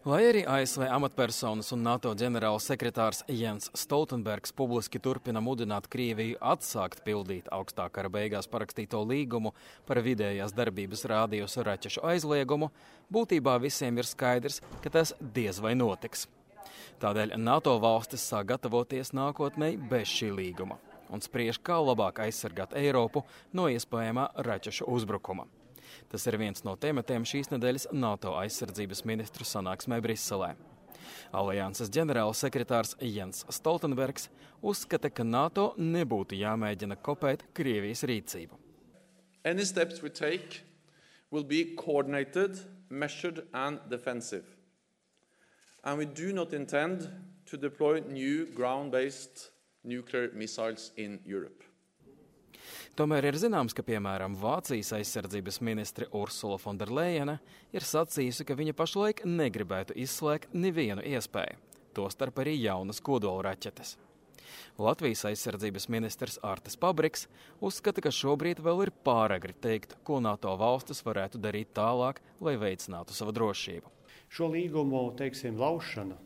Lai arī ASV amatpersonas un NATO ģenerāls sekretārs Jens Stoltenbergs publiski turpina mudināt Krieviju atsākt pildīt augstā kara beigās parakstīto līgumu par vidējās darbības rādījusa raķešu aizliegumu, būtībā visiem ir skaidrs, ka tas diez vai notiks. Tādēļ NATO valstis sāk gatavoties nākotnē bez šī līguma un spriež, kā labāk aizsargāt Eiropu no iespējamā raķešu uzbrukuma. Tas ir viens no tematiem šīs nedēļas NATO aizsardzības ministru sanāksmē Briselē. Alianses ģenerāls sekretārs Jens Stoltenbergs uzskata, ka NATO nebūtu jāmēģina kopēt Krievijas rīcību. Any steps we take will be coordinated, measured and defensive. And we do not intend to deploy new ground-based nuclear missiles in Europe. Tomēr ir zināms, ka, piemēram, Vācijas aizsardzības ministre Ursula von der Leyene ir sacījusi, ka viņa pašlaik negribētu izslēgt nevienu iespēju, tostarp arī jaunas kodolraķetes. Latvijas aizsardzības ministrs Artis Pabriks uzskata, ka šobrīd vēl ir pāragri teikt, ko NATO valstis varētu darīt tālāk, lai veicinātu savu drošību. Šo līgumu, laušana,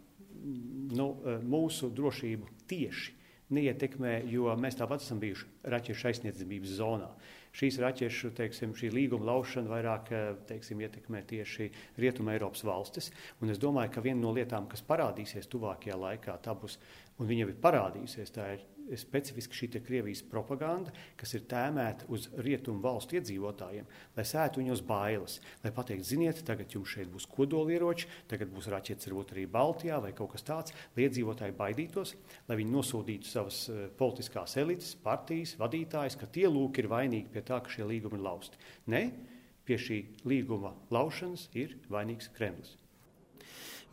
mūsu drošību tieši neietekmē, jo mēs tāpat esam bijuši raķešu aizsniedzamības zonā. Šīs raķešu, šī līguma laušana vairāk, ietekmē tieši Rietuma Eiropas valstis. Un es domāju, ka viena no lietām, kas parādīsies tuvākajā laikā, tā būs, un viņa ir parādījusies, tā ir specifiski šī Krievijas propaganda, kas ir tēmēta uz Rietumu valstu iedzīvotājiem, lai sētu viņos bailes, lai pateikt, ziniet, tagad jums šeit būs kodolieroči, tagad būs raķetes varbūt arī Baltijā vai kaut kas tāds, lai iedzīvotāji baidītos, lai viņi nosūdītu savas politiskās elites, partijas, vadītājs, ka tie lūk ir vainīgi pie tā, ka šie līgumi ir lausti. Ne, pie šī līguma laušanas ir vainīgs Kremlis.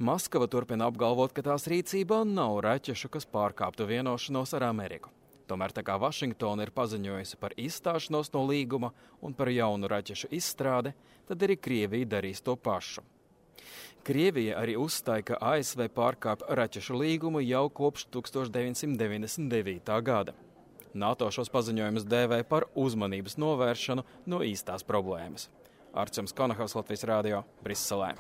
Maskava turpina apgalvot, ka tās rīcībā nav raķešu, kas pārkāptu vienošanos ar Ameriku. Tomēr tā kā Vašingtona ir paziņojusi par izstāšanos no līguma un par jaunu raķešu izstrādi, tad arī Krievija darīs to pašu. Krievija arī uzstāja, ka ASV pārkāp raķešu līgumu jau kopš 1999. gada. NATO šos paziņojumus dēvē par uzmanības novēršanu no īstās problēmas. Arčuns Konahaus, Latvijas radio, Briselē.